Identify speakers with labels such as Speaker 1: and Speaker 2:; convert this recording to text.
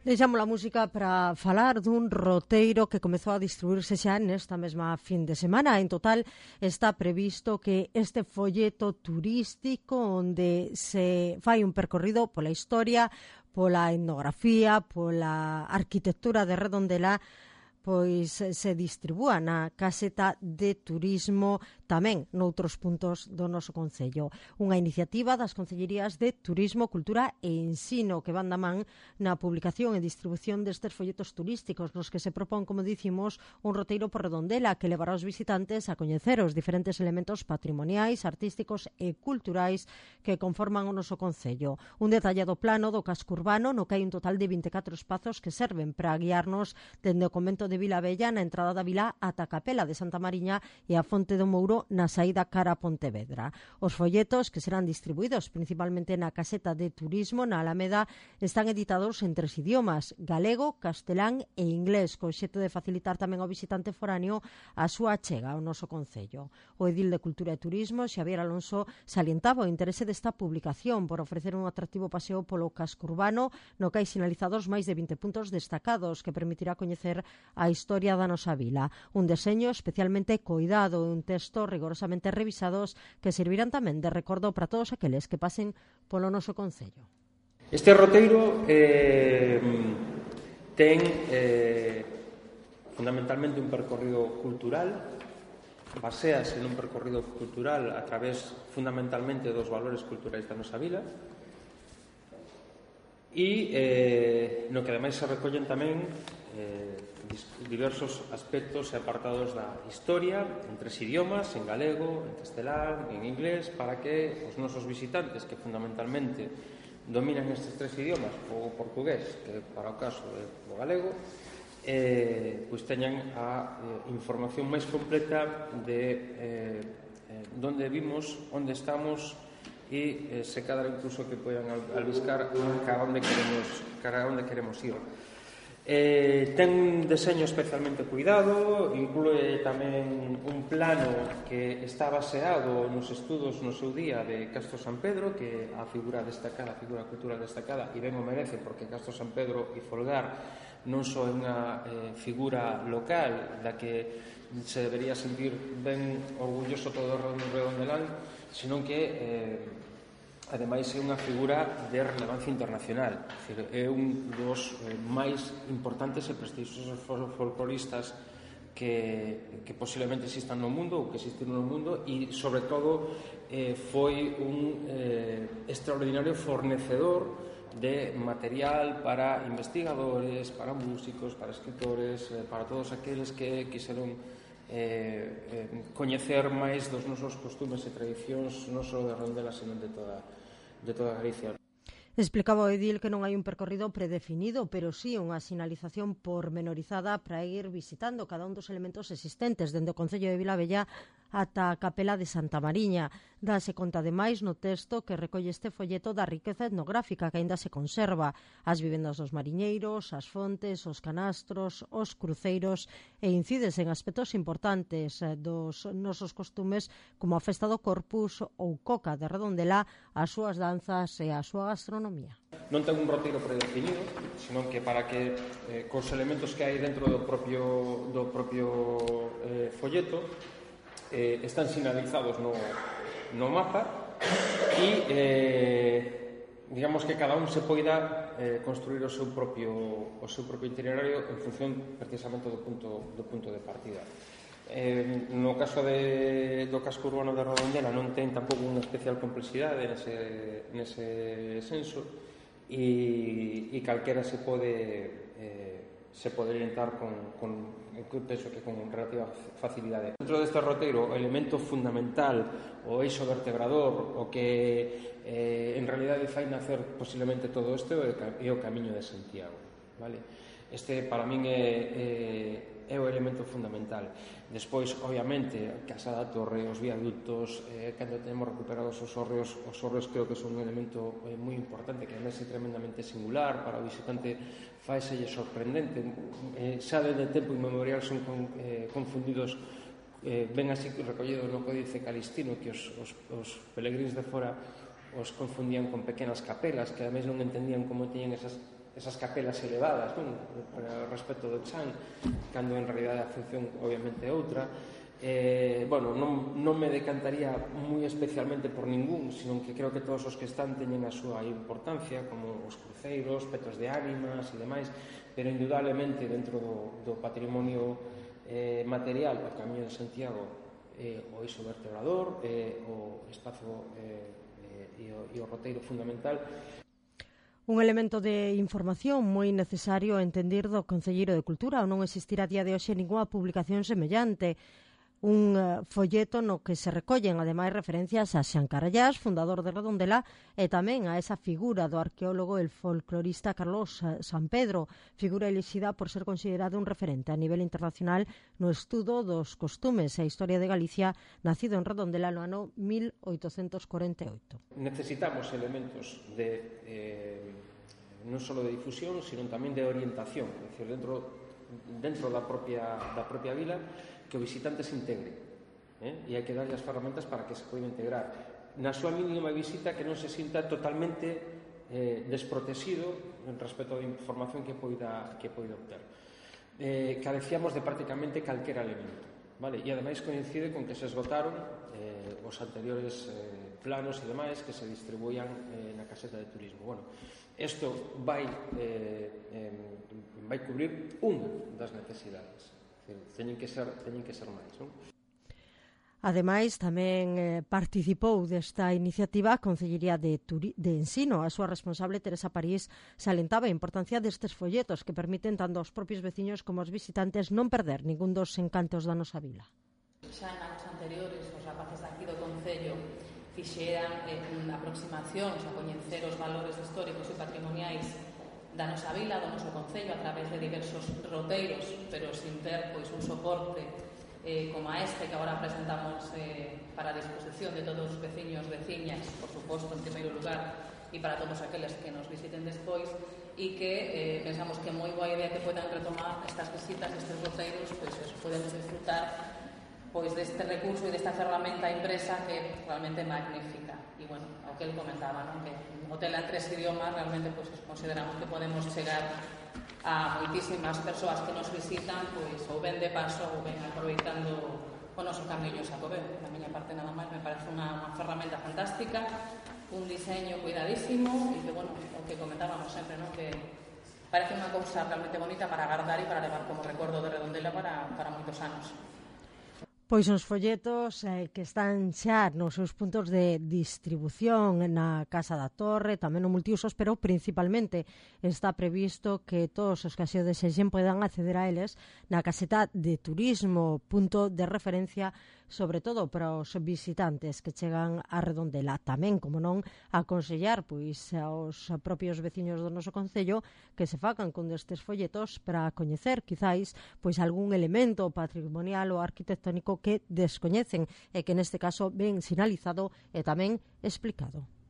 Speaker 1: Deixamos a música para falar dun roteiro que comezou a distribuirse xa nesta mesma fin de semana. En total está previsto que este folleto turístico onde se fai un percorrido pola historia, pola etnografía, pola arquitectura de Redondela, pois se distribúa na caseta de turismo tamén noutros puntos do noso concello. Unha iniciativa das Concellerías de Turismo, Cultura e Ensino que van da man na publicación e distribución destes folletos turísticos nos que se propón, como dicimos, un roteiro por Redondela que levará os visitantes a coñecer os diferentes elementos patrimoniais, artísticos e culturais que conforman o noso concello. Un detallado plano do casco urbano no que hai un total de 24 espazos que serven para guiarnos dende o convento de Vilabella na entrada da vila ata a capela de Santa Mariña e a Fonte do Mouro na saída cara a Pontevedra. Os folletos, que serán distribuídos principalmente na caseta de turismo na Alameda, están editados en 3 idiomas, galego, castelán e inglés, co obxecto de facilitar tamén ao visitante foráneo a súa achega ao noso concello. O edil de Cultura e Turismo, Xavier Alonso, salientaba o interese desta publicación por ofrecer un atractivo paseo polo casco urbano no que hai sinalizados máis de 20 puntos destacados que permitirá coñecer a historia da nosa vila. Un deseño especialmente coidado e un texto rigorosamente revisados que servirán tamén de recordo para todos aqueles que pasen polo noso concello.
Speaker 2: Este roteiro ten fundamentalmente un percorrido cultural, basease nun percorrido cultural a través fundamentalmente dos valores culturais da nosa vila e no que ademais se recollen tamén diversos aspectos e apartados da historia en 3 idiomas, en galego, en castelán, en inglés, para que os nosos visitantes, que fundamentalmente dominan estes 3 idiomas, o portugués, que para o caso é o galego, pois teñan a información máis completa de onde vimos, onde estamos e se cadra incluso que poidan albiscar cara onde queremos ir. Ten un deseño especialmente cuidado, inclúe tamén un plano que está baseado nos estudos no seu día de Castro San Pedro, que a figura destacada, a figura cultural destacada, e ben o merece, porque Castro San Pedro e Folgar non só é unha figura local da que se debería sentir ben orgulloso todo o redondelán, senón que ademais é unha figura de relevancia internacional. É un dos máis importantes e prestixiosos folcloristas que posiblemente existan no mundo ou que existiron no mundo e, sobre todo, foi un extraordinario fornecedor de material para investigadores, para músicos, para escritores, para todos aqueles que quixeron coñecer máis dos nosos costumes e tradicións non só de Redondela, senón de toda Galicia.
Speaker 1: Explicaba o edil que non hai un percorrido predefinido, pero sí unha sinalización pormenorizada para ir visitando cada un dos elementos existentes dende o concello de Vilabella ata a capela de Santa Mariña. Dase conta ademais no texto que recolle este folleto da riqueza etnográfica que aínda se conserva, as vivendas dos mariñeiros, as fontes, os canastros, os cruceiros e incides en aspectos importantes dos nosos costumes como a festa do Corpus ou Coca de Redondela, as súas danzas e a súa gastronomía.
Speaker 2: Non ten un roteiro predefinido, senón que para que cos elementos que hai dentro do propio folleto están sinalizados no mapa e digamos que cada un se poida construir o seu propio itinerario en función precisamente do punto de partida. No caso do casco urbano de Redondela non ten tampouco unha especial complexidade nese senso e calquera se pode orientar penso que con relativa facilidade. Dentro deste roteiro, o elemento fundamental, o eixo vertebrador, o que en realidade fai nacer posiblemente todo isto é o Camiño de Santiago, vale? Este para min é o elemento fundamental. Despois, obviamente, Casa da Torre, os viaductos, cando temos recuperados os hórreos creo que son un elemento moi importante, que además é tremendamente singular para o visitante, faiselle sorprendente. Xa desde tempo inmemorial son confundidos, ben así recollidos no Códice Calistino, que os peregrinos de fora os confundían con pequenas capelas, que ademais non entendían como teñen esas esas capelas elevadas, non? Respecto do chan, cando en realidad a función obviamente é outra. Bueno, non me decantaría moi especialmente por ningún, sino que creo que todos os que están teñen a súa importancia, como os cruceiros, petros de ánimas e demais, pero indudablemente dentro do patrimonio material, o Camiño de Santiago, o eixo vertebrador, o espazo e o roteiro fundamental.
Speaker 1: Un elemento de información moi necesario a entender do Concelleiro de Cultura, ou non existirá a día de hoxe ningunha publicación semellante. Un folleto no que se recollen, ademais, referencias a Xan Carallás, fundador de Redondela, e tamén a esa figura do arqueólogo e folclorista Carlos Sampedro, figura elixida por ser considerado un referente a nivel internacional no estudo dos costumes e a historia de Galicia, nacido en Redondela no ano 1848.
Speaker 2: Necesitamos elementos non só de difusión, sino tamén de orientación, é dicir, dentro da propia vila, que o visitante se integre, e hai que darlle as ferramentas para que se poida integrar. Na súa mínima visita, que non se sinta totalmente desprotegido respecto da información que poida obter. Carecíamos de prácticamente calquera elemento, vale? E ademais coincide con que se esgotaron os anteriores planos e demais que se distribuían na caseta de turismo. Bueno, isto vai cubrir unha das necesidades. Teñen que ser máis, non?
Speaker 1: Ademais, tamén participou desta iniciativa a Concellería de Ensino. A súa responsable, Teresa París, salentaba a importancia destes folletos que permiten tanto aos propios veciños como aos visitantes non perder ningún dos encantos da nosa vila.
Speaker 3: Xa en anos anteriores, os rapaces aquí do Concello fixeran unha aproximación a coñecer os valores históricos e patrimoniais da nosa vila, do noso Concello, a través de diversos roteiros, pero sin ter un soporte como este que agora presentamos para a disposición de todos os veciños, veciñas, por suposto, en primeiro lugar, e para todos aqueles que nos visiten despois, e que pensamos que é moi boa idea que podan retomar estas visitas, estes roteiros, pois podemos disfrutar deste recurso e desta ferramenta impresa que é realmente magnífica. E, bueno, o que ele comentaba, non? Que o tela en 3 idiomas realmente consideramos que podemos chegar a moitísimas persoas que nos visitan, ou ben de paso ou ben aproveitando o noso camiño Xacobeo. Da miña parte nada máis, me parece unha ferramenta fantástica, un diseño cuidadísimo e que, bueno, o que comentábamos sempre, non? Que parece unha cousa realmente bonita para guardar e para levar como recordo de Redondela para moitos anos.
Speaker 1: Pois os folletos que están xa nos seus puntos de distribución na Casa da Torre, tamén no multiusos, pero principalmente está previsto que todos os que así o desexen podan acceder a eles na caseta de turismo, punto de referencia sobre todo para os visitantes que chegan a Redondela. Tamén, como non, aconsellar aos propios veciños do noso concello que se fagan con destes folletos para coñecer, quizáis, algún elemento patrimonial ou arquitectónico que descoñecen e que neste caso ven sinalizado e tamén explicado.